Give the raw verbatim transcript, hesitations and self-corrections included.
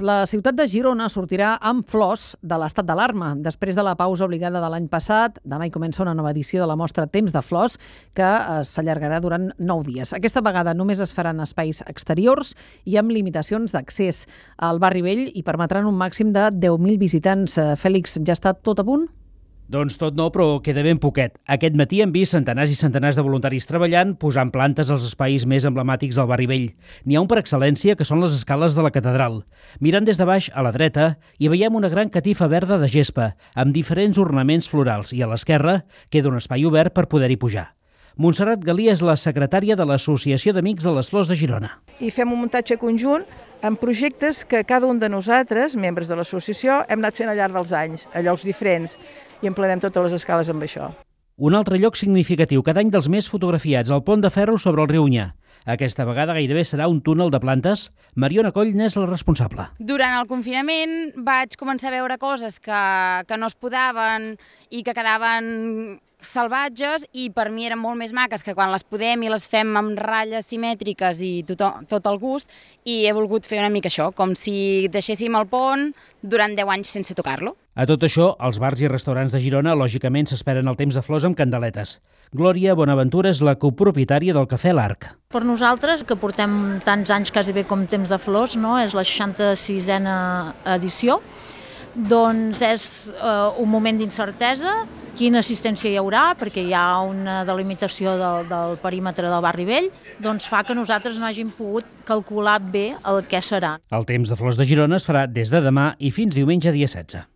La ciutat de Girona sortirà amb flors de l'estat d'alarma. Després de la pausa obligada de l'any passat, demà hi comença una nova edició de la mostra Temps de Flors, que s'allargarà durant nou dies. Aquesta vegada només es faran espais exteriors i amb limitacions d'accés al barri vell i permetran un màxim de deu mil visitants. Fèlix, ja està tot a punt? Doncs tot no, però queda ben poquet. Aquest matí hem vist centenars i centenars de voluntaris treballant, posant plantes als espais més emblemàtics del barri vell. N'hi ha un per excel·lència, que són les escales de la catedral. Mirant des de baix a la dreta, hi veiem una gran catifa verda de gespa, amb diferents ornaments florals, i a l'esquerra queda un espai obert per poder-hi pujar. Montserrat Galí és la secretària de l'Associació d'Amics de les Flors de Girona. I fem un muntatge conjunt amb projectes que cada un de nosaltres, membres de l'associació, hem anat fent al llarg dels anys, a llocs diferents, i emplenem totes les escales amb això. Un altre lloc significatiu, cada any dels més fotografiats, el pont de ferro sobre el riu Onyar. Aquesta vegada gairebé serà un túnel de plantes. Mariona Coll n'és la responsable. Durant el confinament vaig començar a veure coses que, que no es podaven i que quedaven salvatges, i per mi eren molt més maques que quan les podem i les fem amb ratlles simètriques i tot, tot el gust, i he volgut fer una mica això, com si deixéssim el pont durant deu anys sense tocar-lo. A tot això, els bars i restaurants de Girona lògicament s'esperen el temps de flors amb candeletes. Glòria Bonaventura és la copropietària del Cafè L'Arc. Per nosaltres, que portem tants anys quasi bé com temps de flors, no? És la seixanta-sisena edició, doncs és eh, un moment d'incertesa. Quina assistència hi haurà, perquè hi ha una delimitació del, del perímetre del barri vell, doncs fa que nosaltres no hàgim pogut calcular bé el que serà. El temps de flors de Girona es farà des de demà i fins diumenge dia setze.